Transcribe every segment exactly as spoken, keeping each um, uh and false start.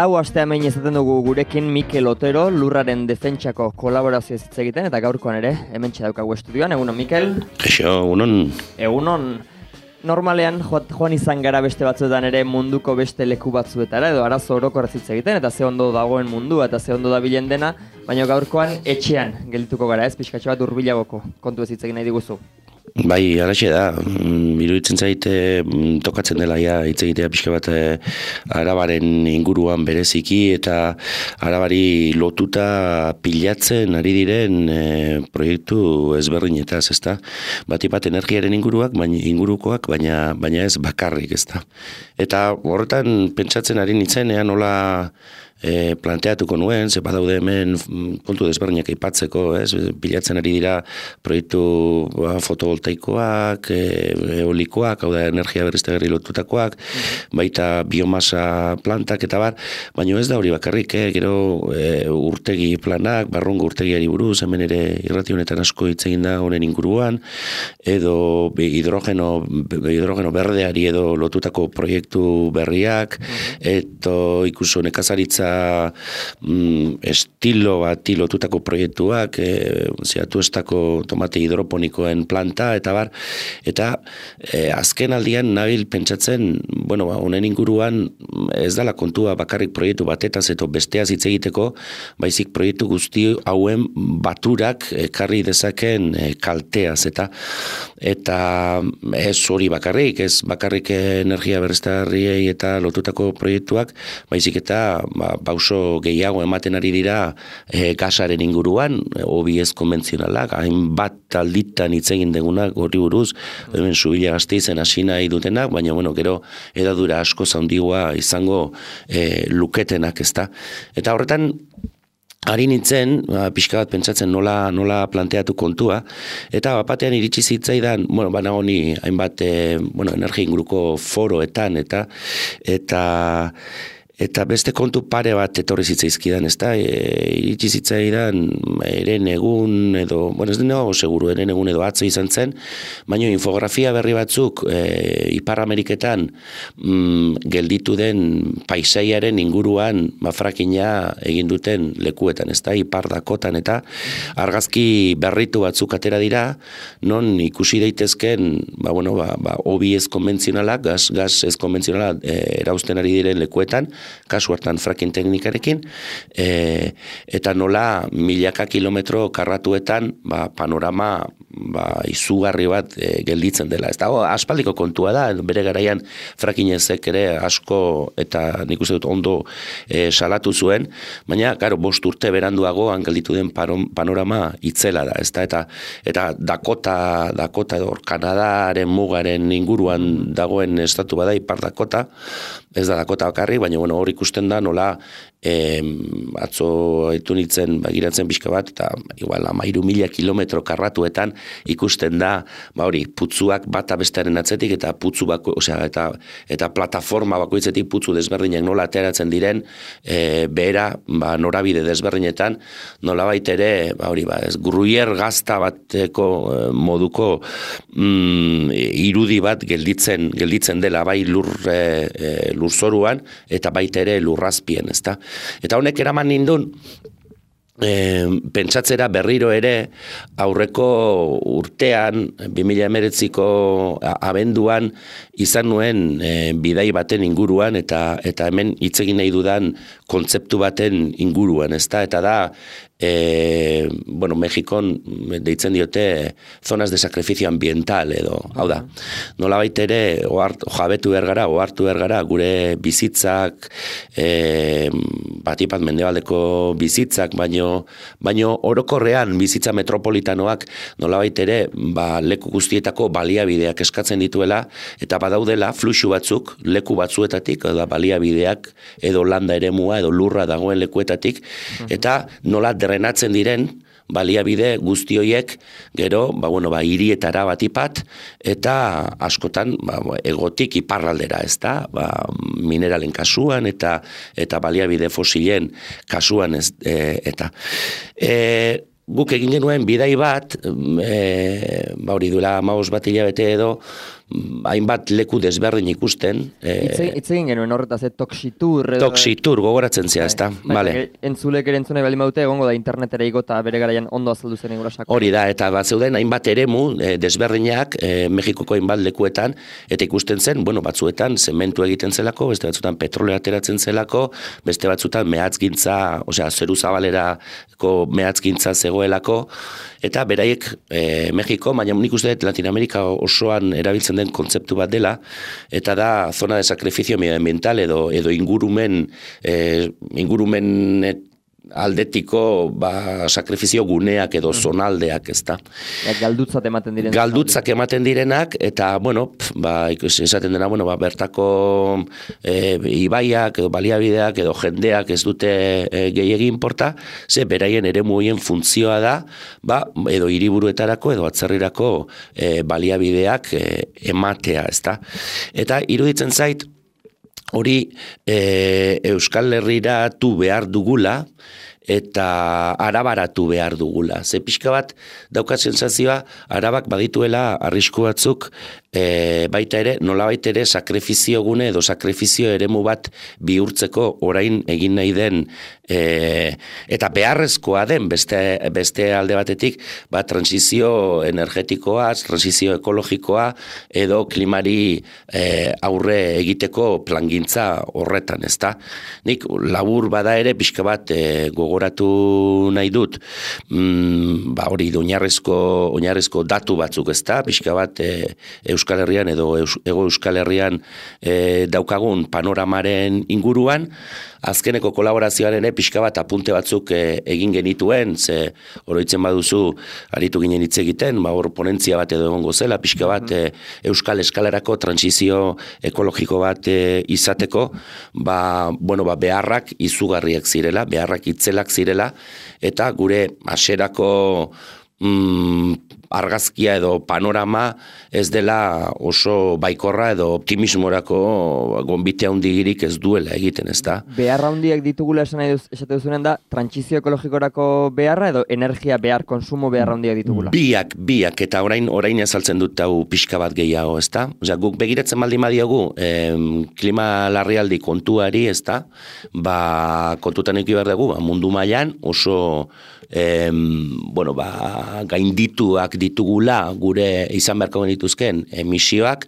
Lau aste hemen izaten dugu gurekin Mikel Otero, lurraren defentsako kolaborazioa hitz egiten, eta gaurkoan ere, hemen daukagu estudioan. Egunon, Mikel? Kaixo, egunon. Egunon. Normalean joan izan gara beste batzuetan ere munduko beste leku batzuetara, edo arazo orokorraz hitz egiten, eta ze ondo dagoen mundua, eta ze ondo dabilen dena, baina gaurkoan etxean geldituko gara, ez? Pixkatxo bat hurbilagoko kontu ez hitz egin nahi diguzu. Bai, alaxe da, iruditzen zaite tokatzen dela ja hitz egitea pixka bat Arabaren inguruan bereziki eta Arabari lotuta pilatzen ari diren e, proiektu ezberdinetaz, ezta? Batipat energiaren inguruak, baina ingurukoak, baina baina ez bakarrik, ezta? Eta horretan pentsatzen ari nitzenean nola E, planteatuko nuen, ze badaude hemen kontu desberdinak aipatzeko, ez? Pilatzen ari dira proiektu ba, fotovoltaikoak, e, eolikoak, hau da energia berriztagarri lotutakoak, baita biomasa plantak eta bar, baina ez da hori bakarrik, eh? Gero e, urtegi planak, barrungo urtegiari buruz, hemen ere irrati honetan asko hitz egin da honen inguruan, edo hidrogeno, hidrogeno berdeari edo lotutako proiektu berriak, eto ikuso nekazaritza Mm, estilo bat lotutako proiektuak, e, zeatu estako tomate hidroponikoen planta, eta bar, eta e, azken aldian nabil pentsatzen, bueno, ba, honen inguruan ez dala kontua bakarrik proiektu batetaz eto besteaz hitz egiteko, baizik proiektu guzti hauen baturak ekarri dezaken e, kalteaz, eta eta ez hori bakarrik, ez bakarrik energia berriztagarriei eta lotutako proiektuak, baizik eta ba, pauso gehiago ematen ari dira e, gasaren inguruan, hobi ez konbentzionalak, hainbat alditan hitz egin degunak horri buruz, hemen Zubila Gasteizen hasi nahi dutenak, baina bueno, gero edadura asko zaundigua izango e, luketenak, ezta. Eta horretan ari nintzen, ba, pixka bat pentsatzen nola, nola planteatu kontua, eta bapatean iritsi zitzaidan, bueno, bana honi hainbat e, bueno, energia inguruko foroetan, eta eta Eta beste kontu pare bat etorri zitzaizkidan, ez da, e, iritsi zitzaidan eren egun edo, bueno, ez dena seguru, eren egun edo atzo izan zen, baina infografia berri batzuk e, Ipar Ameriketan mm, gelditu den paisaiaren inguruan ba, frakina egin duten lekuetan, ez da, Ipar Dakotan, eta argazki berritu batzuk atera dira, non ikusi daitezken, ba, bueno, ba, ba, hobi ez konbentzionalak, gas, gas ez konbentzionalak e, erauzten ari diren lekuetan, kasu hartan fracking teknikarekin, e, eta nola milaka kilometro karratuetan ba, panorama ba, izugarri bat e, gelditzen dela. Ez dago, aspaldiko kontua da, bere garaian fracking ezek ere asko eta nik uste dut ondo e, salatu zuen, baina, karo, bost urte beranduago gelditu den panorama itzela da, ez da, eta, eta Dakota, Dakota edo Kanadaren mugaren inguruan dagoen estatu bada, Ipar Dakota, ez da Dakota bakarri, baina bueno, hor ikusten da nola e, atzo haitu nintzen bagiratzen pixka bat, eta igual amairu mila kilometro karratuetan ikusten da, ba hori, putzuak bata bestearen atzetik, eta putzu bako, osea, eta, eta plataforma bakoitzetik putzu desberdinak nola ateratzen diren, e, behera, ba, norabide desberdinetan, nola baitere, ba hori, ba, ez, gruier gazta bateko e, moduko mm, irudi bat gelditzen, gelditzen dela, bai lur, e, e, lurzoruan, eta baita ere lurrazpien, ezta? Eta honek eraman nindun, e, pentsatzera berriro ere aurreko urtean, bi mila hemeretziko abenduan izan nuen e, bidai baten inguruan, eta eta hemen hitz egin nahi dudan kontzeptu baten inguruan, ezta? Eta da, E, bueno, Mexikon deitzen diote zonas de sacrificio ambiental edo, hau da, nola baitere ohart, jabetu bergara, ohartu bergara gure bizitzak e, batipat mendebaldeko bizitzak, baino, baino orokorrean bizitza metropolitanoak nola baitere ba, leku guztietako baliabideak eskatzen dituela, eta badaudela fluxu batzuk leku batzuetatik, edo baliabideak edo landa eremua edo lurra dagoen lekuetatik, eta nola drenatzen diren baliabide guzti horiek gero, ba, bueno, ba, hirietara batipat, eta askotan ba, egotik iparraldera, ez da, ba, mineralen kasuan, eta eta baliabide fosilen kasuan, ez, e, eta e, guk egin genuen bidai bat, e, ba hori duela hamabost bat hilabete edo, hainbat leku desberdin ikusten. Hitz egin genuen horretaz, eh, toxitur. Toxitur, gogoratzen zea, ezta? Vale. Entzulek ere entzunei bali maute, egongo da internetera igo eta bere garaian ondo azaldu zen egura sako. Hori da, eta bat zeuden hainbat eremu desberdinak Mexikoko hainbat lekuetan, eta ikusten zen, bueno, batzuetan zementu egiten zelako, beste batzuetan petroleo ateratzen zelako, beste batzuetan mehatzgintza, osea, zeru zabalerako mehatzgintza zegoelako, eta beraiek e, Mexiko, baina nik uste dut Latinoamerika osoan erabiltzen den kontzeptu bat dela, eta da zona de sacrificio medioambiental edo, edo ingurumen, e, ingurumen et, aldetiko ba, sakrifizio guneak edo zonaldeak, ez da. Ja, galdutzat ematen direnak. Galdutzak ematen direnak, eta, bueno, pf, ba, esaten dena, bueno, ba, bertako e, ibaiak, edo baliabideak, edo jendeak ez dute e, gehiegi inporta, ze beraien ere muien funtzioa da, ba, edo hiriburuetarako, edo atzerrirako e, baliabideak e, ematea, ez da. Eta iruditzen zait, hori e, Euskal Herriratu behar dugula, eta arabaratu behar dugula. Ze pixka bat daukat sentsazioa, arabak badituela arrisku batzuk, e, baita ere, nolabait ere sakrifizio gune edo sakrifizio eremu bat bihurtzeko orain egin nahi den, e, eta beharrezkoa den beste, beste alde batetik, ba, transizio energetikoa, transizio ekologikoa, edo klimari e, aurre egiteko plangintza horretan, ezta? Nik labur bada ere pixka bat e, gogoratu nahi dut, mm, ba, hori oinarrezko, oinarrezko datu batzuk, ezta? Pixka bat e, Euskal Herrian edo Eus, Ego Euskal Herrian e, daukagun panoramaren inguruan, azkeneko kolaborazioaren e, pixka bat apunte batzuk e, egin genituen, ze oroitzen baduzu aritu ginen hitz egiten, ba, hor ponentzia bat edo egongo zela, pixka bat e, Euskal eskalerako transizio ekologiko bat e, izateko, ba, bueno, ba, beharrak izugarriak zirela, beharrak itzelak zirela, eta gure haserako mm, argazkia edo panorama ez dela oso baikorra edo optimismorako gonbite handigirik ez duela egiten, ez da? Beharra handiak ditugula esan nahi esate duzunen da, trantsizio ekologikorako beharra edo energia behar, konsumo beharra handiak ditugula? Biak, biak, eta orain orain azaltzen dut hau pixka bat gehiago, ez da? Osea, guk begiratzen baldin badiogu em, klima larrialdi kontuari, ez da? Ba, kontutan eki behar dugu, ba, mundu mailan oso em, bueno, ba, gaindituak ditugula gure izan beharko genituzken emisioak,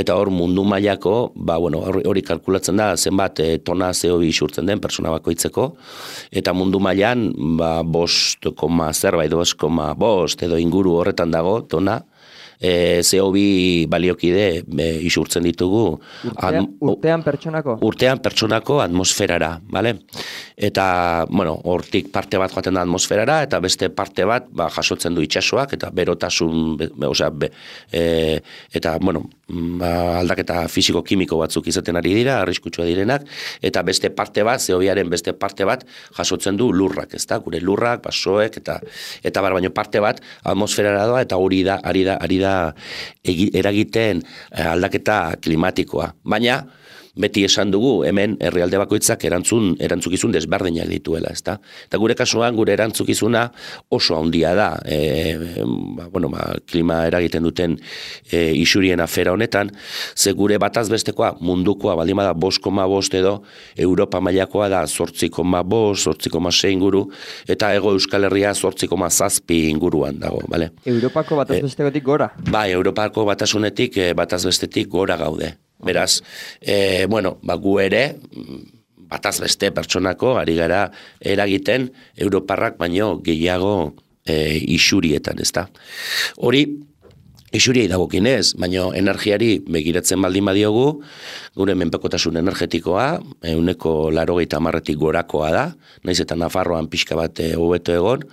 eta hor mundu mailako, ba, bueno, hori kalkulatzen da zenbat e, tona C O bi isurtzen den pertsona bakoitzeko, eta mundu mailan ba, bost koma zerbait, bost koma bost edo inguru horretan dago tona, E, C O bi baliokide e, isurtzen ditugu urtean, urtean pertsonako? Urtean pertsonako atmosferara, vale? Eta, bueno, hortik parte bat joaten da atmosferara, eta beste parte bat ba, jasotzen du itsasoak, eta berotasun, be, osea, be, e, eta, bueno, ba, aldaketa fisiko-kimiko batzuk izaten ari dira, arriskutsua direnak, eta beste parte bat, C O biaren beste parte bat jasotzen du lurrak, ezta? Gure lurrak, basoek, eta eta bar, baino parte bat atmosferara doa, eta hori da, ari da, ari da eragiten aldaketa klimatikoa. Baina, beti esan dugu, hemen herrialde bakoitzak erantzun, erantzukizun desberdinak dituela, ezta? Eta gure kasuan, gure erantzukizuna oso handia da, e, ba, bueno, ba, klima eragiten duten e, isurien afera honetan, ze gure bataz bestekoa mundukoa, baldin bada bost koma bost edo, Europa mailakoa da zortzi koma bost, zortzi koma sei inguru, eta Ego Euskal Herria zortzi koma zazpi inguruan dago, bale? Europako bataz bestekotik gora? Bai, Europako batasunetik bataz bestetik gora gaude. Beraz, e, bueno, ba, gu ere, bataz beste pertsonako, ari gara eragiten Europarrak baino gehiago e, isurietan, ezta. Hori, isuriei dagokinez, baino energiari begiratzen baldin badiogu, gure menpekotasun energetikoa, ehuneko laurogeita hamarretik gorakoa da, naiz eta Nafarroan pixka bat hobeto egon,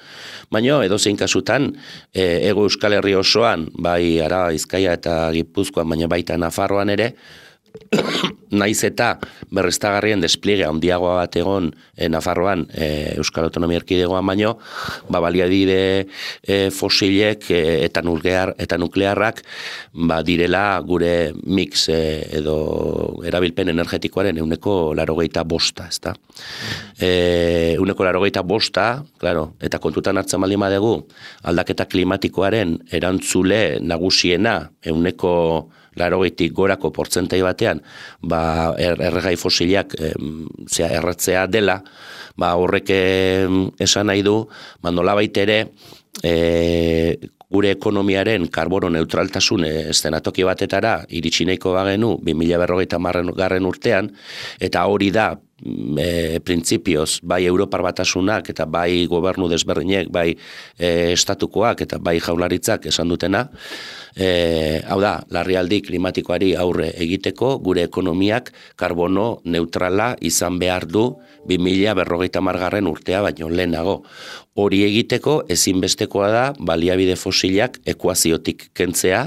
baino edozein kasutan, e, Ego Euskal Herri osoan, bai Araba, Bizkaia eta Gipuzkoan, baina baita Nafarroan ere, naiz eta berriztagarrien despliege handiagoa bat egon e, Nafarroan e, Euskal Autonomia Erkidegoan baino, ba, baliabide e, fosilek e, eta, nuklear, eta nuklearrak ba, direla gure mix e, edo erabilpen energetikoaren euneko laurogeita bosta, ezta? E, euneko laurogeita bosta, claro, eta kontutan hartzen baldin badegu aldaketa klimatikoaren erantzule nagusiena euneko laurogeitik gorako portzentai batean, ba, er, erregai fosilak e, zera, erratzea dela, ba, horrek esan nahi du, ba, nolabait ere, e, gure ekonomiaren karbono neutraltasun eszenatoki batetara iritsi nahiko bagenu bi mila berrogeita hamargarren urtean, eta hori da e, printzipioz bai Europar Batasunak eta bai gobernu desberdinek, bai e, estatukoak eta bai jaurlaritzak esan dutena, e, hau da, larrialdi klimatikoari aurre egiteko gure ekonomiak karbono neutrala izan behar du bi mila berrogeita hamargarren urtea baino lehenago. Hori egiteko ezinbestekoa da baliabide fosilak ekuaziotik kentzea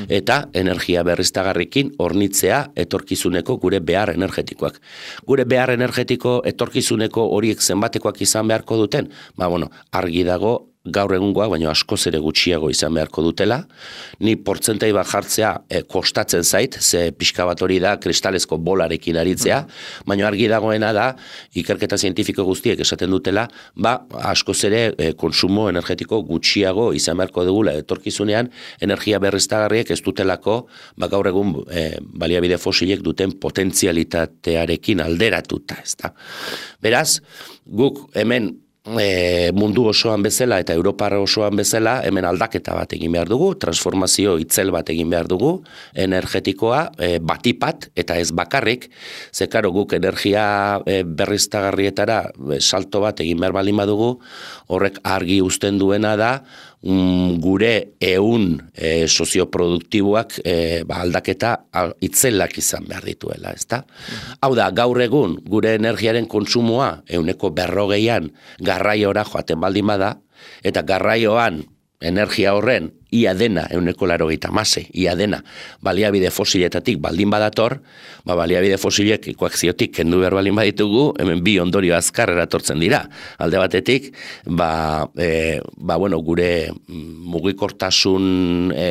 eta energia berriztagarrikin hornitzea etorkizuneko gure behar energetikoak. Gure behar energetiko etorkizuneko horiek zenbatekoak izan beharko duten, ba bueno, argi dago gaur egungoak, baina askoz ere gutxiago izan beharko dutela. Ni portzentai bat jartzea e, kostatzen zait, ze pixka bat hori da kristalezko bolarekin aritzea, baina argi dagoena da, ikerketa zientifiko guztiek esaten dutela, ba, askoz ere e, konsumo energetiko gutxiago izan beharko dugula etorkizunean, energia berriztagarriek ez dutelako, ba, gaur egun e, baliabide fosilek duten potentzialitatearekin alderatuta, ezta. Beraz, guk hemen E, mundu osoan bezala eta Europar osoan bezala hemen aldaketa bat egin behar dugu, transformazio itzel bat egin behar dugu, energetikoa e, batipat eta ez bakarrik, ze karo guk energia e, berriztagarrietara e, salto bat egin behar baldin badugu, horrek argi uzten duena da, mm, gure ehun e, sozioproduktiboak e, ba, aldaketa itzelak izan behar dituela, ezta? Hau da, gaur egun gure energiaren kontsumoa ehuneko berrogeian garraiora joaten baldin bada, eta garraioan energia horren ia dena ehuneko laurogeita hamasei, ia dena baliabide fosiletatik baldin badator, ba baliabide fosilek koakziotik kendu behar baldin baditugu, hemen bi ondorio azkar eratortzen dira. Alde batetik, ba, e, ba bueno, gure mugikortasun e,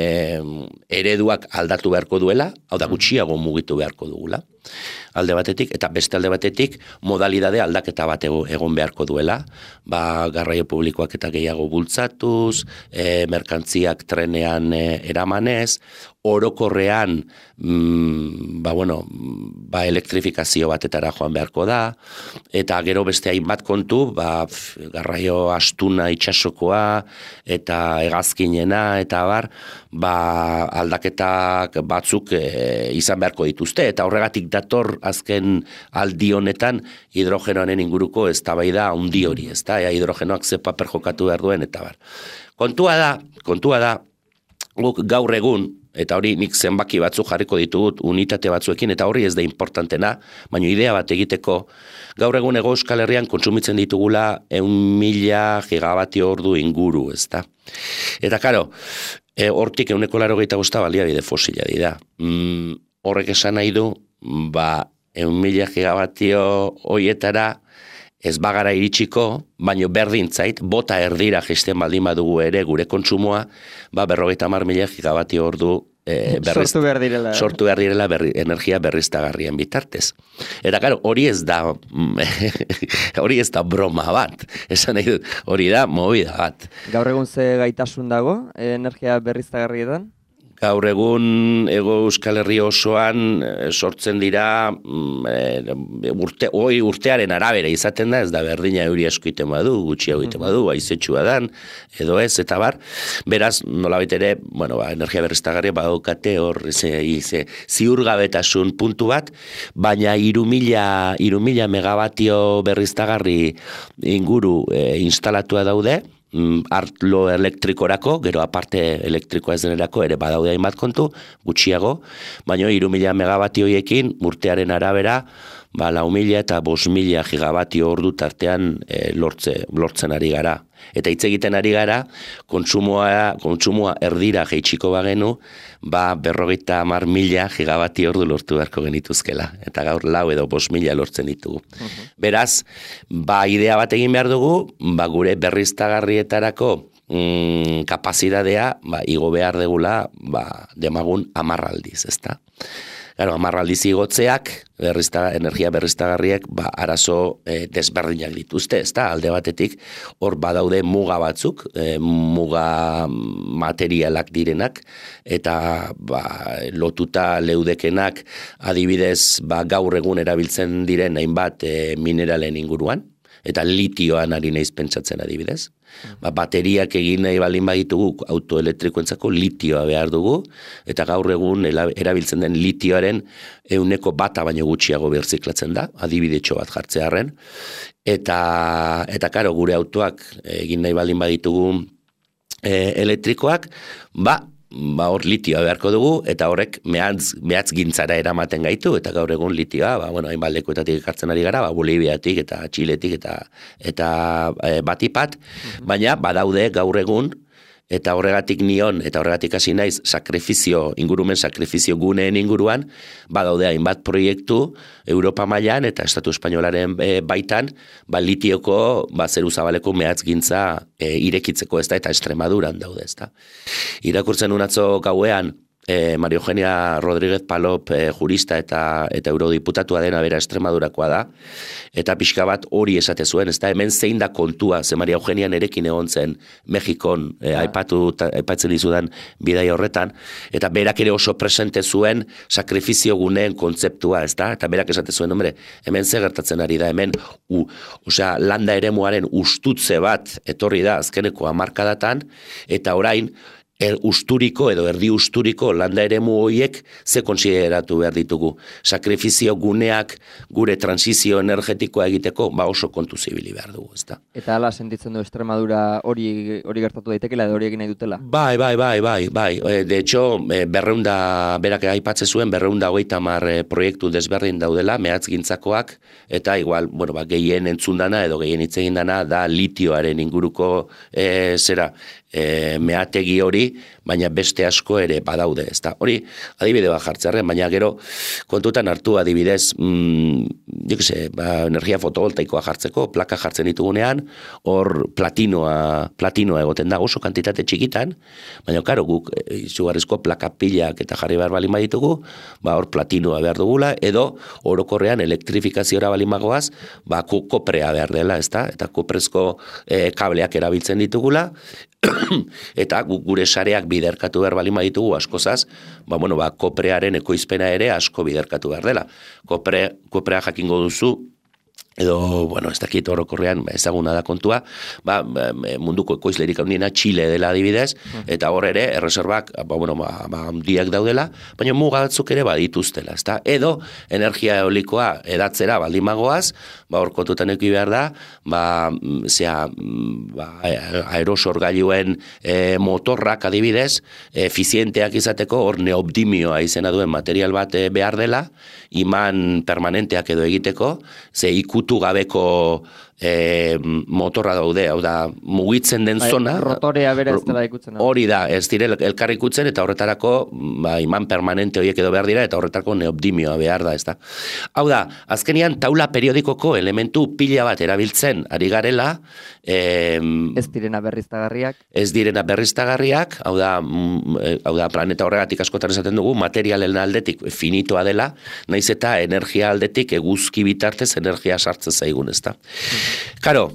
ereduak aldatu beharko duela, hau da gutxiago mugitu beharko dugula. Alde batetik, eta beste alde batetik, modalidade aldaketa bat egon beharko duela, ba, garraio publikoak eta gehiago bultzatuz, e, merkantziak trenean e, eramanez, orokorrean mm, ba, bueno, ba, elektrifikazio batetara joan beharko da, eta gero beste hainbat kontu, ba, garraio astuna itxasokoa, eta hegazkinena, eta bar, ba, aldaketak batzuk e, izan beharko dituzte, eta horregatik dator azken aldi honetan hidrogenoaren inguruko eztabaida handi hori, ezta? Ea hidrogenoak ze paper jokatu behar duen, eta bar. Kontua da, kontua da, guk gaur egun, eta hori nik zenbaki batzuk jarriko ditut unitate batzuekin, eta hori ez da importantena, baina idea bat egiteko, gaur egun Hego Euskal Herrian kontsumitzen ditugula ehun mila gigabatio ordu inguru, ezta? Eta karo, e, hortik ehuneko laurogeita bosta baliabide fosila dira. Mm, horrek esan nahi du, ba, ehun mila gigabatio hoietara ez bagara iritsiko, baino berdin zait, bota erdira gesten baldin badugu ere gure kontsumoa, ba, berrogeita hamar mila gigabatio ordu e, berriz, sortu behar direla, sortu behar direla berri, energia berriztagarrien bitartez. Eta karo, hori ez da hori ez da broma bat, esan nahi dut, hori da movida bat. Gaur egun ze gaitasun dago energia berriztagarrietan? Gaur egun Hego Euskal Herri osoan sortzen dira e, urte, oi urtearen arabera izaten da, ez da berdina euri asko iten badu, gutxi egiten badu, aizetxua dan, edo ez, eta bar. Beraz, nolabait ere, bueno, ba, energia berriztagarria badaukate hor ze, ze, ziurgabetasun puntu bat, baina hiru mila megabatio berriztagarri inguru e, instalatua daude, arlo elektrikorako, gero aparte elektrikoa ez denerako ere badaude hainbat kontu, gutxiago, baina hiru mila megabatio hoiekin urtearen arabera, ba, lau mila eta bost mila gigabatio ordu tartean e, lortze, lortzen ari gara. Eta hitz egiten ari gara, kontsumoa, kontsumoa erdira jeitsiko bagenu, ba, berrogeita hamar mila gigabatio ordu lortu beharko genituzkela. Eta gaur lau edo bost mila lortzen ditugu. Uh-huh. Beraz, ba, idea bat egin behar dugu, ba, gure berriztagarrietarako mm, kapazitatea, ba, igo behar degula, ba, demagun hamar aldiz, ezta? Claro, amarraldiz igotzeak, berrizta, energia berriztagarriek, ba, arazo e, desberdinak dituzte, ez da, alde batetik, hor badaude muga batzuk, e, muga materialak direnak, eta ba, lotuta leudekenak, adibidez, ba, gaur egun erabiltzen diren hainbat e, mineralen inguruan, eta litioan ari naiz pentsatzen adibidez. Ba, bateriak egin nahi baldin baditugu autoelektrikoentzako litioa behar dugu, eta gaur egun erabiltzen den litioaren euneko bata baino gutxiago birziklatzen da, adibidetxo bat jartzearren, eta, eta karo, gure autoak egin nahi baldin baditugu e, elektrikoak, ba, ba hor litioa beharko dugu, eta horrek mehatz, mehatz gintzara eramaten gaitu, eta gaur egun litioa, ba, bueno, hainbat lekuetatik ekartzen ari gara, ba, Boliviatik eta Txiletik eta, eta e, batipat, baina badaude gaur egun, eta horregatik nion, eta horregatik hasi naiz, sakrifizio, ingurumen sakrifizio guneen inguruan, badaude hainbat proiektu, Europa mailan eta Estatu Espainolaren e, baitan, ba, litioko, ba, zeru zabaleko mehatzgintza e, irekitzeko ez da, eta Extremaduran daude ez da. Irakurtzen unatzo gauean, E, María Eugenia Rodríguez Palop e, jurista eta eta eurodiputatua dena bera Extremadurakoa da, eta pixka bat hori esate zuen, ez da, hemen zein da kontua, ze María Eugenia nerekin egon zen Mexikon, e, aipatu, ta, aipatzen dizudan bidai horretan, eta berak ere oso presente zuen sakrifizio guneen kontzeptua, ez da, eta berak esate zuen, hombre, hemen ze gertatzen ari da, hemen, u, osea, landa eremuaren ustutze bat etorri da azkeneko hamarkadatan, eta orain, Er, usturiko edo erdi usturiko landa eremu horiek ze konsideratu behar ditugu. Sakrifizio guneak gure transizio energetikoa egiteko ba oso kontu zibili behar dugu, ezta. Eta hala sentitzen du Extremadura hori hori gertatu daitekela edo hori egin nahi dutela? Bai, bai, bai, bai, bai. De hecho, berreunda, berak aipatze zuen, berreunda hogeita hamar proiektu desberdin daudela, mehatzgintzakoak, eta igual, bueno, ba, gehien entzundana edo gehien hitz egin dana da litioaren inguruko e, zera, E, meategi hori, baina beste asko ere badaude, ezta. Hori adibide bat jartzearren, baina gero kontutan hartu adibidez, mm, jo que se, ba, energia fotovoltaikoa jartzeko, plaka jartzen ditugunean, hor platinoa, platinoa egoten da oso kantitate txikitan, baina karo guk izugarrizko plaka pilak eta jarri behar balin baditugu, ba hor platinoa behar dugula, edo orokorrean elektrifikaziora balin bagoaz, ba koprea behar dela, ezta, eta koprezko e, kableak erabiltzen ditugula, eta gure sareak biderkatu behar balin baditugu askozaz, ba, bueno, ba, koprearen ekoizpena ere asko biderkatu behar dela. Kopre, koprea jakingo duzu, edo, bueno, ez dakit orokorrean ezaguna da kontua, ba, munduko ekoizlerik handiena Txile dela adibidez, eta hor ere, erreserbak, ba, bueno, ba, ba, handiak daudela, baina muga batzuk ere badituztela, ezta? Edo, energia eolikoa edatzera baldin magoaz, ba, hor kontutan eki behar da, ba, zea, ba, aerosorgailuen e, motorrak adibidez, efizienteak izateko, hor neobdimioa izena duen material bat e, behar dela, iman permanenteak edo egiteko, ze ikutu gabeko e, motorra daude, hau da, mugitzen den Ai, zona. Rotorea bera ez dela ikutzen. Hori da, ez dire elkar ikutzen, eta horretarako ba, iman permanente horiek edo behar dira, eta horretarako neobdimioa behar da, ez da. Hau da, azkenian taula periodikoko elementu pila bat erabiltzen ari garela, e, ez direna berriztagarriak. Ez direna berriztagarriak, hau da, hau da planeta horregatik askotan esaten dugu, materialen aldetik finitoa dela, naiz eta energia aldetik eguzki bitartez energia sartzen zaigun, ez da. Karo,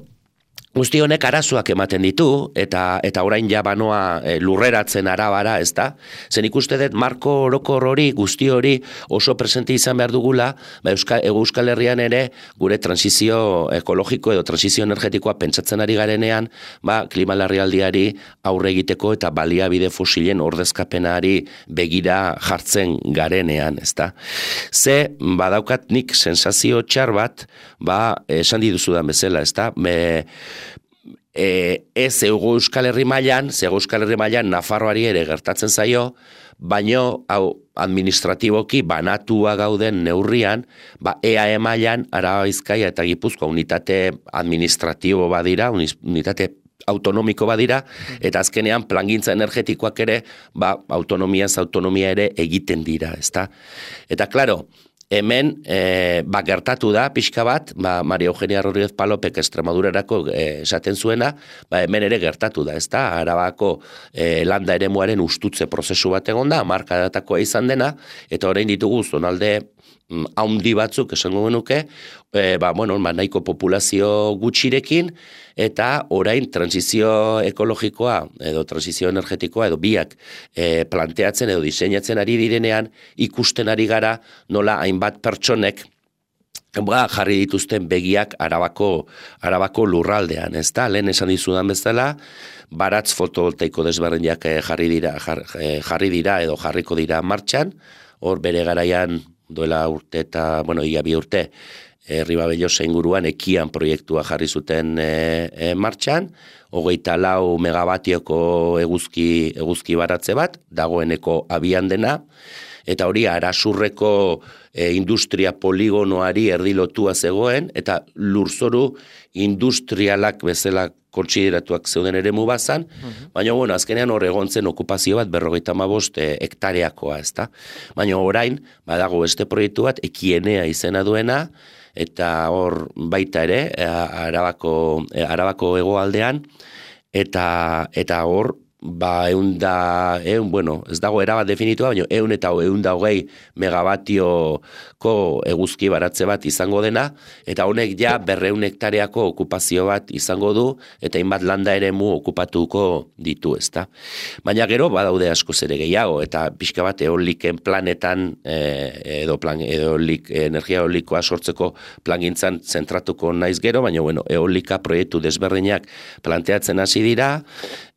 guzti honek arazoak ematen ditu, eta eta orain ja banoa e, lurreratzen arabara, ez da? Zen ikuste dut marko orokor hori, guzti hori oso presente izan behar dugula, ba, Euskal, Euskal Herrian ere gure transizio ekologiko edo transizio energetikoa pentsatzen ari garenean, ba, klima larrialdiari aurre egiteko eta baliabide fosilen ordezkapenari begira jartzen garenean, ez da? Ze, badaukat nik sensazio txar bat, ba, esan dituzudan bezala, ez da? Me, E, ez Ego Euskal Herri mailan, ze Ego Euskal Herri mailan Nafarroari ere gertatzen zaio, baino hau administratiboki banatua gauden neurrian, ba E A E mailan Araba Bizkaia eta Gipuzkoa unitate administratibo badira, unitate autonomiko badira, eta azkenean plangintza energetikoak ere, ba autonomiaz autonomia ere egiten dira, ezta? Eta claro, hemen e, ba, gertatu da pixka bat, ba, Maria Eugenia Rodríguez Palopek Extremadurarako e, esaten zuena, ba, hemen ere gertatu da, ezta? Arabako e, landa eremuaren ustutze prozesu bat egon da, markadatakoa izan dena, eta orain ditugu zonalde haundi batzuk esango genuke, e, ba, bueno, ba, nahiko populazio gutxirekin, eta orain transizio ekologikoa edo transizio energetikoa edo biak e, planteatzen edo diseinatzen ari direnean, ikusten ari gara nola hainbat pertsonek ba, jarri dituzten begiak arabako, arabako lurraldean, ez da? Lehen esan dizudan bezala, baratz fotovoltaiko desberdinak jarri dira, jar, jarri dira edo jarriko dira martxan, hor bere garaian duela urte eta, bueno, ia bi urte, e, Ribabellosa inguruan ekian proiektua jarri zuten e, e, martxan, hogeita lau megabatioko eguzki, eguzki baratze bat, dagoeneko abian dena, eta hori Arasurreko e, industria poligonoari erdilotua zegoen, eta lurzoru industrialak bezala kontsideratuak zeuden eremu bazan, uh-huh. baina bueno, azkenean hor egon zen okupazio bat berrogeita hamabost e, hektareakoa, ezta? Baina orain, badago beste proiektu bat, Ekienea izena duena, eta hor baita ere, Arabako, Arabako hegoaldean, eta, eta hor, ba, eun da, eun, bueno, ez dago erabat definitua, baina eun eta eun da hogei megabatioko eguzki baratze bat izango dena, eta honek ja berreun hektareako okupazio bat izango du, eta hainbat landa eremu okupatuko ditu, ezta. Baina gero, badaude askoz ere gehiago, eta pixka bat eoliken planetan, eh, edo, plan, edo eolik, energia eolikoa sortzeko plangintzan zentratuko naiz gero, baina bueno, eolika proiektu desberdinak planteatzen hasi dira,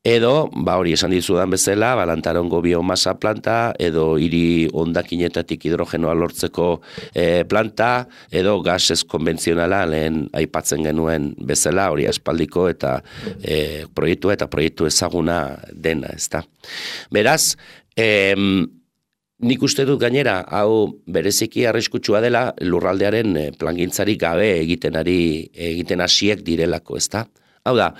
edo, ba hori esan dizudan bezala, ba, Lantarongo biomasa planta, edo hiri hondakinetatik hidrogenoa lortzeko e, planta, edo gasez konbentzionala lehen aipatzen genuen bezala, hori aspaldiko eta e, proiektu eta proiektu ezaguna dena, ezta. Beraz, em, nik uste dut gainera, hau bereziki arriskutsua dela lurraldearen plangintzarik gabe egiten ari egiten hasiek direlako, ezta. Hau da,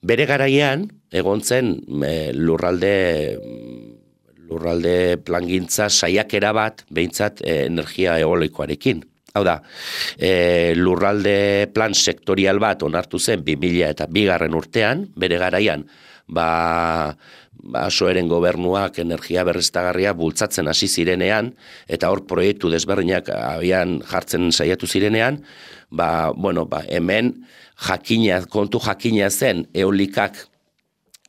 bere garaian egon zen e, lurralde lurralde plangintza saiakera bat behintzat e, energia eolikoarekin. Hau da, e, lurralde plan sektorial bat onartu zen bi mila eta bigarren urtean, bere garaian, ba, ba Soeren gobernuak energia berriztagarria bultzatzen hasi zirenean, eta hor proiektu desberdinak abian jartzen saiatu zirenean, ba, bueno, ba, hemen jakina, kontu jakina zen eolikak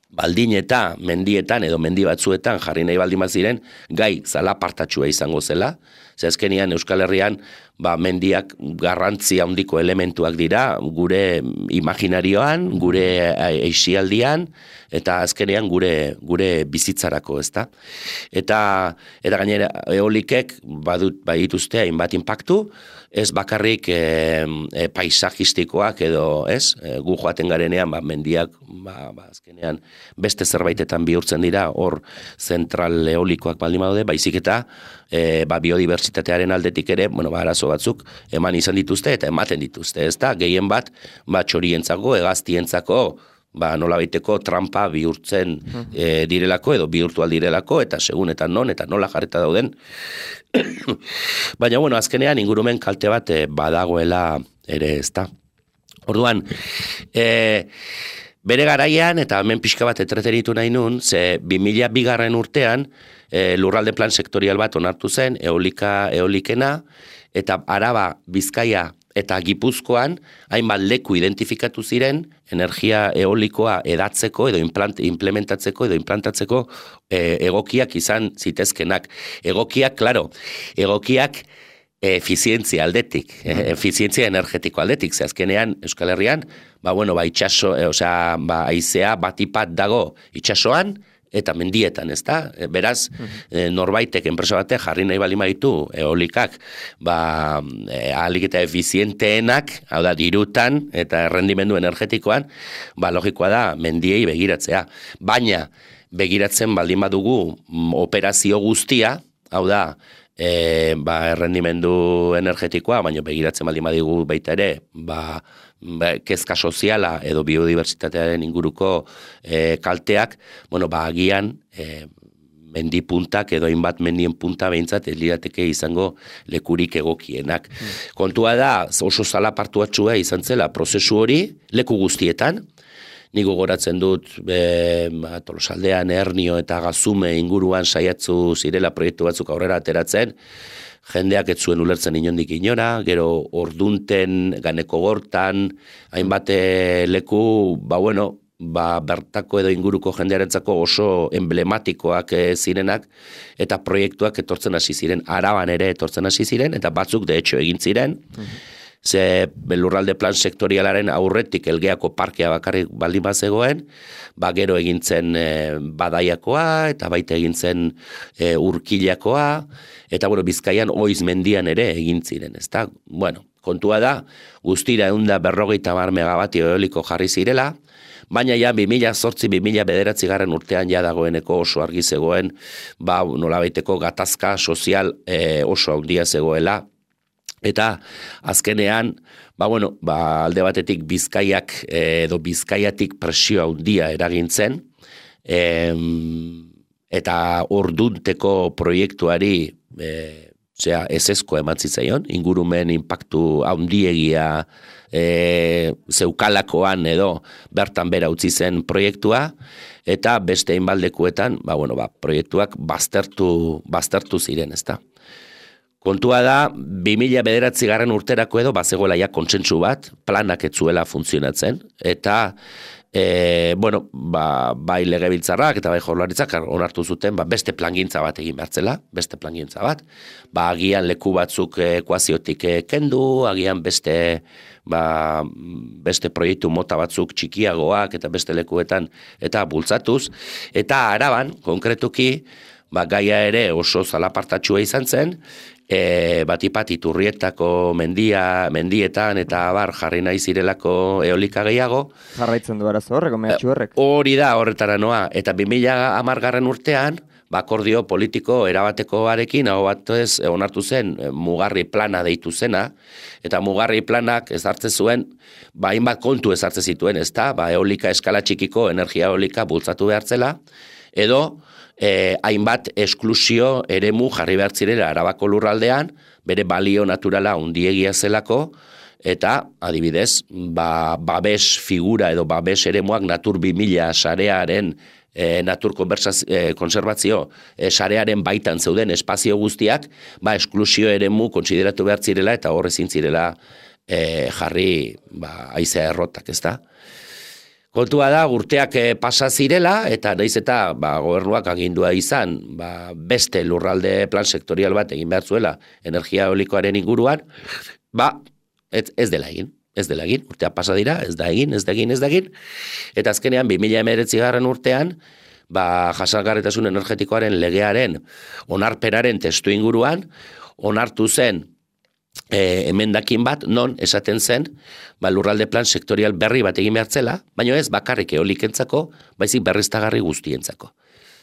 baldin eta mendietan edo mendi batzuetan jarri nahi baldin bat ziren gai zalapartatsua izango zela. Ze azkenian Euskal Herrian ba, mendiak garrantzi handiko elementuak dira gure imaginarioan, gure eixialdian eta azkenean gure gure bizitzarako, ezta? Eta eta gainera eolikek badut badituzte hainbat inpaktu, ez bakarrik e, e, paisajistikoak edo, ez? E, gu joaten garenean ba, mendiak ba, ba, azkenean beste zerbaitetan bihurtzen dira, hor zentral eolikoak baldin badaude, baizik eta e, ba, biodibertsitatearen aldetik ere, bueno, ba, arazo batzuk eman izan dituzte eta ematen dituzte, ezta? Gehien bat, ba, txorientzako, hegaztientzako, ba, nolabaiteko trampa bihurtzen e, direlako edo bihurtu aldirelako eta segun eta non eta nola jarreta dauden. Baina, bueno, azkenean ingurumen kalte bat e, badagoela ere, ezta. Orduan, e, bere garaian, eta hemen pixka bat etretenitu nahi nun, ze bi mila bigarren urtean e, lurralde plan sektorial bat onartu zen, eolika, eolikena, eta Araba, Bizkaia eta Gipuzkoan hainbat leku identifikatu ziren energia eolikoa edatzeko edo implant, implementatzeko edo implantatzeko e, egokiak izan zitezkenak. Egokiak, klaro, egokiak efizientzia aldetik, efizientzia energetiko aldetik, ze azkenean Euskal Herrian, ba bueno, ba itxaso, e, osea, ba haizea batipat dago itxasoan eta mendietan, ezta? Beraz, e, norbaitek enpresa batek jarri nahi bali maitu eolikak, ba e, ahalik eta efizienteenak, hau da dirutan eta errendimendu energetikoan, ba logikoa da mendiei begiratzea. Baina begiratzen baldin badugu operazio guztia, hau da, E, ba, errendimendu energetikoa, baina begiratzen baldin badigu baita ere, ba, ba, kezka soziala edo biodibertsitatearen inguruko e, kalteak, bueno, ba, agian e, mendi puntak edo hainbat mendien punta behintzat ez lirateke izango lekurik egokienak. Mm. Kontua da, oso zalapartuatxua izan zela prozesu hori, leku guztietan, nik gogoratzen dut e, Tolosaldean, Ernio eta Gazume inguruan saiatzu zirela proiektu batzuk aurrera ateratzen, jendeak ez zuen ulertzen inondik inora, gero ordunten, ganeko gortan, hainbat leku, ba bueno, ba, bertako edo inguruko jendearentzako oso emblematikoak e, zirenak, eta proiektuak etortzen hasi ziren, Araban ere etortzen hasi ziren, eta batzuk de hecho egin ziren, mm-hmm. Ze lurralde plan sektorialaren aurretik Elgeako parkea bakarrik baldin bazegoen, ba gero egintzen e, Badaiakoa eta baita egintzen e, Urkilakoa, eta bueno, Bizkaian Oiz mendian ere egin ziren, ezta? Bueno, kontua da, guztira ehun eta berrogeita hamar megabatio eoliko jarri zirela, baina ja bi mila zortzi bi mila bederatzi garren urtean ja dagoeneko oso argi zegoen, ba nolabaiteko gatazka sozial e, oso handia zegoela. Eta azkenean, ba bueno, ba alde batetik Bizkaiak edo Bizkaiatik presio handia eragintzen, em, eta ordunteko proiektuari e, zera, ezezko eman zitzaion, ingurumen inpaktu handiegia e, zeukalakoan edo bertan bera utzi zen proiektua, eta beste inbaldekuetan, ba bueno, ba proiektuak baztertu, baztertu ziren, ezta. Kontua da, bi mila bederatzi garren urterako edo, bazegoela ja kontsentsu bat, planak ez zuela funtzionatzen, eta, e, bueno, ba, bai legebiltzarrak eta bai Jaurlaritzak onartu zuten, ba, beste plangintza bat egin behartzela, beste plangintza bat, ba, agian leku batzuk ekuaziotik kendu, agian beste, ba, beste proiektu mota batzuk txikiagoak eta beste lekuetan, eta bultzatuz, eta Araban, konkretuki, ba, gaia ere oso zalapartatxua izan zen, E, batipat Iturrietako mendia, mendietan eta abar jarri nahi zirelako eolika gehiago. Jarraitzen du arazo horrek, mehatxu horrek. Hori da, horretara noa. Eta bi mila hamargarren urtean, bakordio politiko erabatekoarekin, hau bat ez, onartu zen, mugarri plana deitu zena, eta mugarri planak ezartzen zuen, ba, hainbat kontu ezartzen zituen, ez da, ba, eolika eskala txikiko, energia eolika bultzatu behartzela, edo, Eh, hainbat esklusio eremu jarri behar zirela Arabako lurraldean, bere balio naturala handiegia zelako, eta adibidez, ba, babes figura edo babes eremuak Natur bi mila sarearen, e, Natur e, konservazio e, sarearen baitan zeuden espazio guztiak, ba, esklusio eremu kontsideratu behar zirela, eta horre zintzirela e, jarri ba, aizea errotak, ez da? Kontua da, urteak pasa zirela, eta naiz eta ba, gobernuak agindua izan, ba, beste lurralde plan sektorial bat egin behar zuela energia eolikoaren inguruan, ba, ez, ez dela egin, ez dela egin, urteak pasa dira, ez da egin, ez da egin, ez da egin, eta azkenean bi mila hemeretzi garren urtean, ba, jasangarritasun energetikoaren legearen onarperaren testu inguruan, onartu zen, E, emendakin bat, non esaten zen, ba, lurralde plan sektorial berri bat egin behartzela, baina ez bakarrik eolikentzako, baizik berriztagarri guztientzako.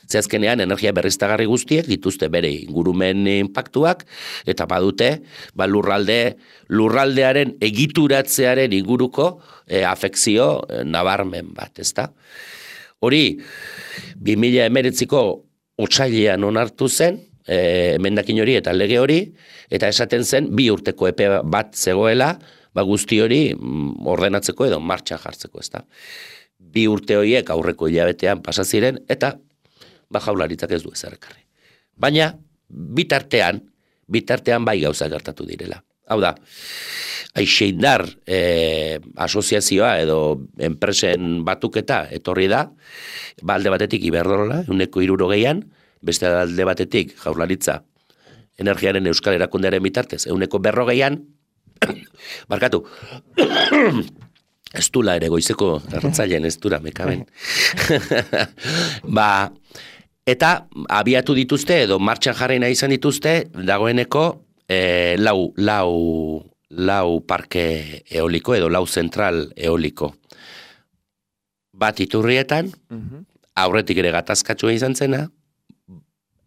Ze azkenean energia berriztagarri guztiek dituzte bere ingurumen inpaktuak, eta badute ba, lurralde, lurraldearen egituratzearen inguruko e, afekzio e, nabarmen bat, ezta? Hori, bi mila hemeretziko otsailean onartu zen, E, emendakin hori eta lege hori, eta esaten zen bi urteko epe bat zegoela, ba guzti hori ordenatzeko edo martxan jartzeko, ezta. Bi urte horiek aurreko hilabetean pasa ziren eta ba Jaurlaritzak ez du ezer ekarri. Baina bitartean, bitartean bai gauza gertatu direla. Hau da, Aixeindar e, asoziazioa edo enpresen batuketa etorri da, ba alde batetik Iberdrola, ehuneko hirurogeian, beste alde batetik Jaurlaritza energiaren euskal erakundearen bitartez ehuneko berrogeian, barkatu, ez dula ere goizeko erratzailean ez dura mekaben. Ba, eta abiatu dituzte edo martxan jarri nahi izan dituzte dagoeneko e, lau, lau, lau parke eoliko edo lau zentral eoliko. Bat Iturrietan, aurretik ere gatazkatsua izan zena,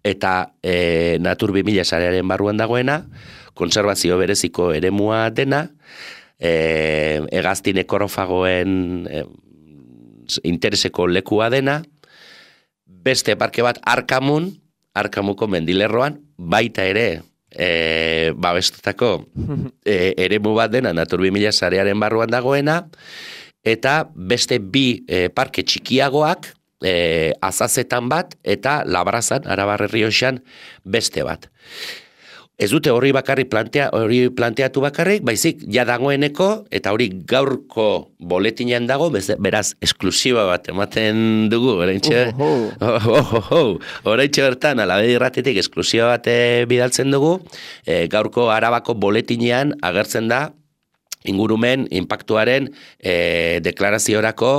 eta e, Natur bi mila sarearen barruan dagoena, konservazio bereziko eremua dena, e, hegaztin ekorofagoen e, intereseko lekua dena, beste parke bat Arkamun, Arkamuko mendilerroan, baita ere, e, babestutako e, eremu bat dena, Natur bi mila sarearen barruan dagoena, eta beste bi e, parke txikiagoak, e, Azazetan bat, eta Labrazan, Arabar Errioxan, beste bat. Ez dute hori bakarrik plantea, hori planteatu bakarrik, baizik ja dagoeneko, eta hori gaurko boletinean dago, beraz, esklusiba bat ematen dugu, oraintxe, oraintxe bertan, Alabedi Irratitik esklusiba bat bidaltzen dugu, e, gaurko Arabako boletinean agertzen da, ingurumen, inpaktuaren e, deklaraziorako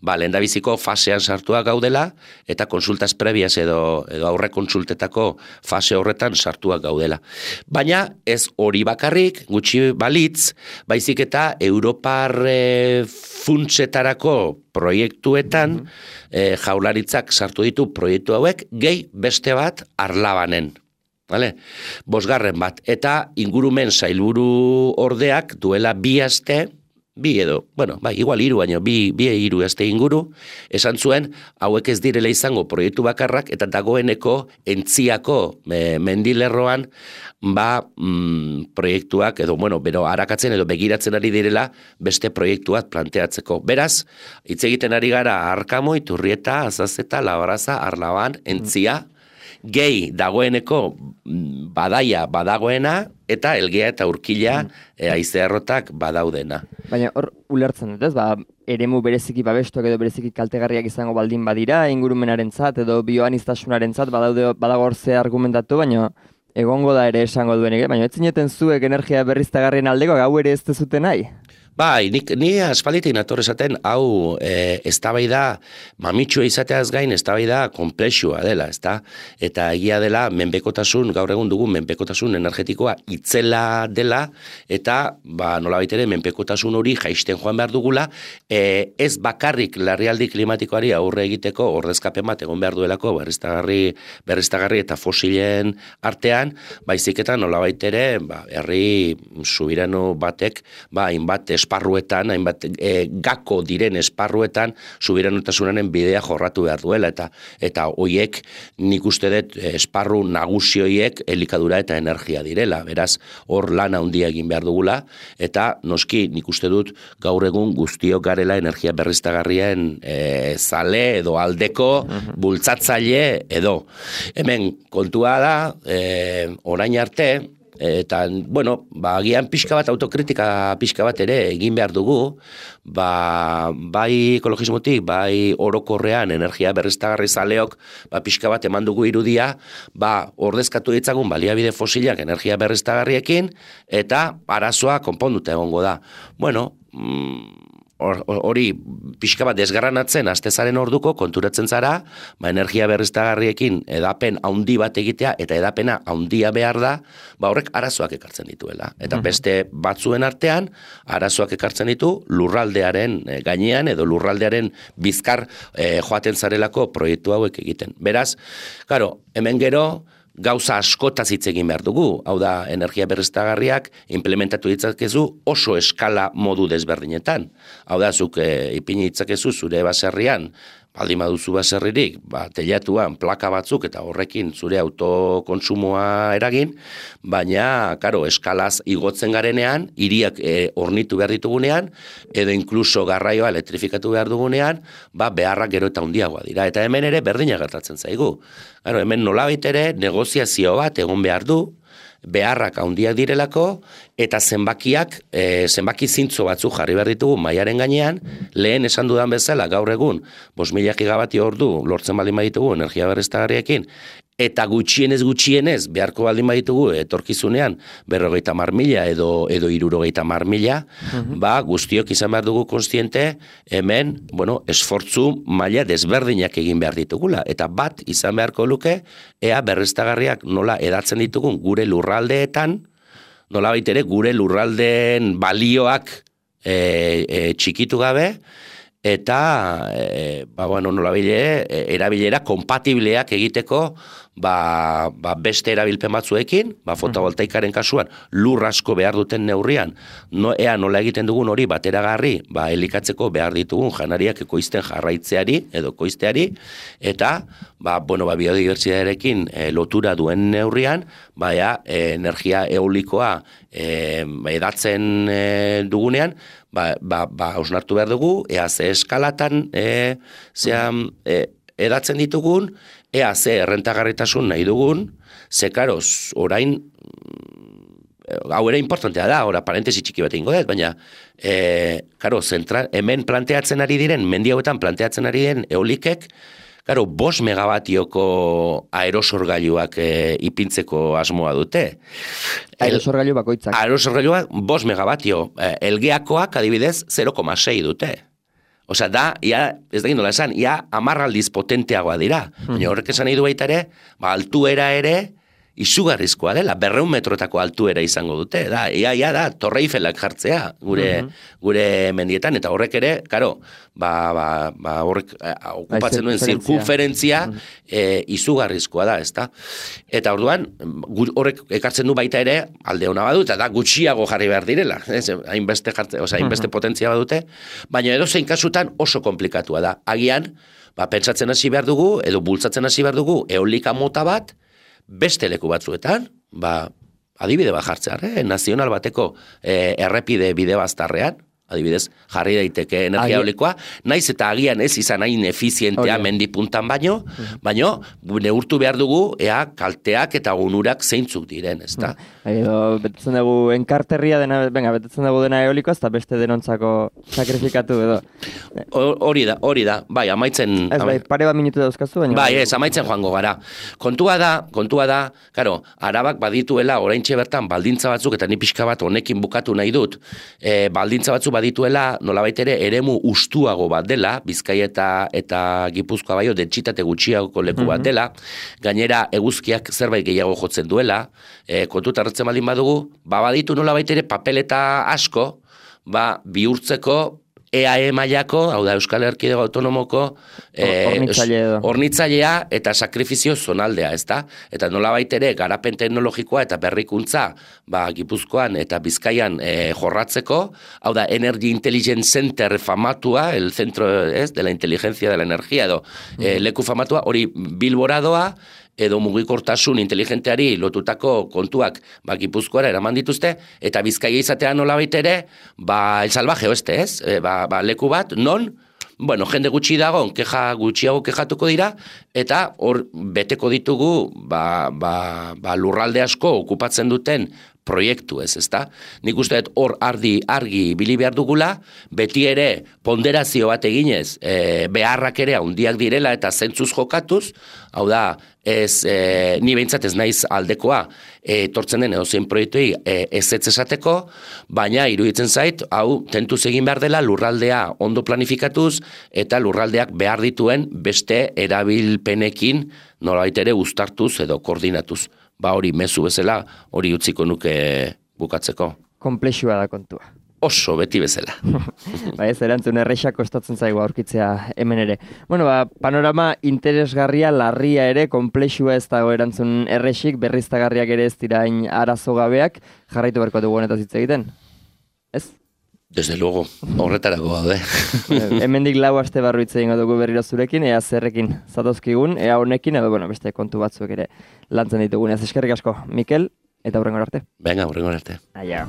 ba, lehendabiziko fasean sartuak gaudela eta konsultas prebias edo, edo aurre konsultetako fase horretan sartuak gaudela. Baina ez hori bakarrik, gutxi balitz, baizik eta Europar e, funtsetarako proiektuetan mm-hmm. e, jaularitzak sartu ditu proiektu hauek, gehi beste bat Arlabanen. Vale? Bosgarren bat, eta ingurumen sailburu ordeak duela bi aste, bi edo, bueno, bai, igual hiru baino, bi, bi hiru aste inguru, esan zuen, hauek ez direla izango proiektu bakarrak, eta dagoeneko entziako e, mendilerroan, ba, mm, proiektuak, edo, bueno, bero, arakatzen edo begiratzen ari direla, beste proiektuak planteatzeko. Beraz, hitz egiten ari gara Arkamo, Iturrieta, Azazeta, Labraza, Arlaban, entzia, gehi dagoeneko badaia badagoena eta Elgea eta Urkila mm. e, haizearrotak badaudena. Baina hor ulertzen dut, ez? Ba, eremu bereziki babestuak edo bereziki kaltegarriak izango baldin badira, ingurumenarentzat edo bioaniztasunarentzat badaude badago hor ze argumentatu, baina egongo da ere esango duenik, baina ez zineten zuek energia berriztagarrien aldeko gau ere ez dezute nahi? Bai, nik, ni aspalditik nator esaten, hau e, eztabaida mamitsua izateaz gain eztabaida konplexua dela, ezta? Eta egia dela menpekotasun, gaur egun dugu menpekotasun energetikoa itzela dela, eta ba, nolabait ere menpekotasun hori jaisten joan behar dugula, e, ez bakarrik larrialdi klimatikoari aurre egiteko ordezkapen bat egon behar duelako berriztagarri, berriztagarri eta fosilen artean, baizik eta nolabait ere ba, herri subirano batek ba, hainbat esparruetan, hainbat e, gako diren esparruetan subiranotasunaren bidea jorratu behar duela, eta eta hoiek nik uste dut esparru nagusi hoiek elikadura eta energia direla, beraz hor lan handia egin behar dugula, eta noski nik uste dut gaur egun guztiok garela energia berriztagarrien e, zale edo aldeko bultzatzaile edo. Hemen kontua da, e, orain arte, eta, bueno, ba, agian pixka bat, autokritika pixka bat ere egin behar dugu, ba, bai ekologismotik, bai orokorrean energia berriztagarri zaleok, ba, pixka bat eman dugu irudia, ba, ordezkatu ditzagun baliabide fosilak energia berriztagarriekin, eta arazoa konponduta egongo da. Bueno, mm, hori pixka bat desgarranatzen astezaren orduko konturatzen zara, ba, energia berriztagarriekin edapen haundi bat egitea eta edapena haundia behar da, ba, horrek arazoak ekartzen dituela. Eta beste batzuen artean, arazoak ekartzen ditu lurraldearen gainean edo lurraldearen bizkar eh, joaten zarelako proiektu hauek egiten. Beraz, claro, hemen gero, gauza askotaz hitz egin behar dugu, hau da energia berriztagarriak implementatu ditzakezu oso eskala modu desberdinetan. Hau da, zuk e, ipini ditzakezu zure baserrian, baldin baduzu baserririk, ba, telatuan plaka batzuk eta horrekin zure autokontsumoa eragin, baina, karo, eskalaz igotzen garenean, hiriak e, ornitu behar ditugunean, edo inkluso garraioa elektrifikatu behar dugunean, ba, beharrak gero eta handiagoa dira. Eta hemen ere berdina gertatzen zaigu. Claro, hemen nolabait ere negoziazio bat egon behar du, beharrak handiak direlako, eta zenbakiak, e, zenbaki zintzo batzuk jarri behar ditugu mailaren gainean, lehen esan dudan bezala gaur egun, bost mila gigabati ordu lortzen baldin baditugu energia berriztagarriekin, eta gutxienez gutxienez beharko baldin baditugu etorkizunean berrogeita mar mila edo, edo irurogeita mar mila, uh-huh. ba, guztiok izan behar dugu konstiente, hemen, bueno, esfortzu maila desberdinak egin behar ditugula, eta bat izan beharko luke, ea berriztagarriak nola edatzen ditugun gure lurraldeetan, nola baitere gure lurraldeen balioak e, e, txikitu gabe, eta e, ba, bueno, nolabile, erabilera kompatibleak egiteko ba, ba beste erabilpen batzuekin, ba, fotovoltaikaren kasuan lur asko behar duten neurrian, no, ea nola egiten dugun hori bateragarri, ba, elikatzeko behar ditugun janariak ekoizten jarraitzeari edo koizteari, eta ba, bueno, ba, biodibertsitatearekin e, lotura duen neurrian, ba, ea, e, energia eolikoa e, edatzen e, dugunean, ba, ba, ba, osnartu behar dugu, ea ze eskalatan e, zean, e, edatzen ditugun, ea ze errentagarritasun nahi dugun, ze karoz, orain, hau ere importantea da, ora parentesi txiki bat ingo dut, baina, e, karo, zentral, hemen planteatzen ari diren, mendi hauetan planteatzen ari diren eolikek, karo, bost megabatioko aerosorgailuak e, ipintzeko asmoa dute. Aerosorgailu bakoitzak. Aerosorgailuak bost megabatio, e, elgeakoak adibidez zero koma sei dute. Osea, da, ia, ez da gindola esan, ia amarraldiz potenteagoa dira. Baina horrek esan nahi du baita ere, ba, altuera ere, izugarrizkoa dela, berreun metrotako altuera izango dute, da, ia, ia da, Torre Eiffelak jartzea, gure, uh-huh. gure mendietan, eta horrek ere, karo, ba, ba, ba horrek eh, okupatzen duen zirkunferentzia uh-huh. eh, izugarrizkoa da, ezta? Eta orduan, horrek ekartzen du baita ere, alde hona badu, eta da, gutxiago jarri behar direla, ez? Hainbeste jartze, osea, hainbeste uh-huh. potentzia badute, baina edo zein kasutan oso komplikatua da. Agian, ba, pentsatzen hasi behar dugu, edo bultzatzen hasi behar dugu, eolika mota bat, beste leku batzuetan, ba, adibide bat jartzear, nazional bateko eh, errepide bide baztarrean, adibidez, jarri daiteke energia eolikoa, naiz eta agian ez izan hain efizientea mendi puntan baino, uh-huh. baino, neurtu behar dugu, ea kalteak eta onurak zeintzuk diren, ezta? Uh-huh. Betetzen dugu enkarterria dena, venga, betetzen dugu dena eolikoa, ez da beste denontzako sakrifikatu edo. Hori da, hori da, bai, amaitzen... Ez, bai, pare bat minutu dauzkazu, baina... Bai, ez, amaitzen joango gara. Kontua da, kontua da, karo, Arabak badituela oraintxe bertan baldintza batzuk, eta ni pixka bat honekin bukatu nahi dut, e, baldintza batzuk badituela, nolabait ere, eremu ustuago bat dela, Bizkaia eta, eta Gipuzkoa baio, dentsitate gutxiagoko leku bat dela, gainera eguzkiak zerbait gehiago jotzen duela, e, kontuta hartzen baldin badugu, ba baditu nolabait ere papeleta asko, ba bihurtzeko E A E mailako, hau da Euskal Erkidego Autonomoko hornitzailea e, eta sakrifizio zonaldea, ezta? Eta nolabait ere garapen teknologikoa eta berrikuntza, ba Gipuzkoan eta Bizkaian e, jorratzeko, hau da Energy Intelligence Center famatua, el centro, ez, de la inteligencia de la energía edo e, leku famatua, hori Bilboradoa, edo mugikortasun inteligenteari lotutako kontuak ba, Gipuzkoara eraman dituzte, eta Bizkaia izatea nolabait ere, ba, el salvaje oeste, ez? E, ba, ba, leku bat, non, bueno, jende gutxi dago, keja gutxiago kejatuko dira, eta hor beteko ditugu ba, ba, ba, lurralde asko okupatzen duten proiektu ez, ezta? Nik uste dut hor ardi argi bili behar dugula, beti ere ponderazio bat eginez, e, beharrak ere handiak direla eta zentzuz jokatuz, hau da, ez, e, ni behintzat ez naiz aldekoa, e, tortzen den edozein proiektuei e, ez ez esateko, baina iruditzen zait, hau tentuz egin behar dela lurraldea ondo planifikatuz, eta lurraldeak behar dituen beste erabilpenekin nolabait ere uztartuz edo koordinatuz. Ba hori mezu bezala, hori utziko nuke bukatzeko. Komplexua da kontua. Oso, beti bezala. Ba ez, erantzun errexak kostatzen zaigu aurkitzea hemen ere. Bueno, ba, panorama interesgarria, larria ere, komplexua ez dago erantzun errexik, berriztagarriak ere ez dirain arazo gabeak, jarraitu berko dugu honetaz hitz egiten. Ez? Desde luego, horretarako gaude. Hemendik lau aste barru hitz egingo dugu berriro zurekin, ea zerrekin zatozkigun, ea honekin, edo bueno, beste kontu batzuk ere lantzen ditugun. Ez eskerrik asko, Mikel, eta hurrengo arte. Venga, hurrengo arte. Aia.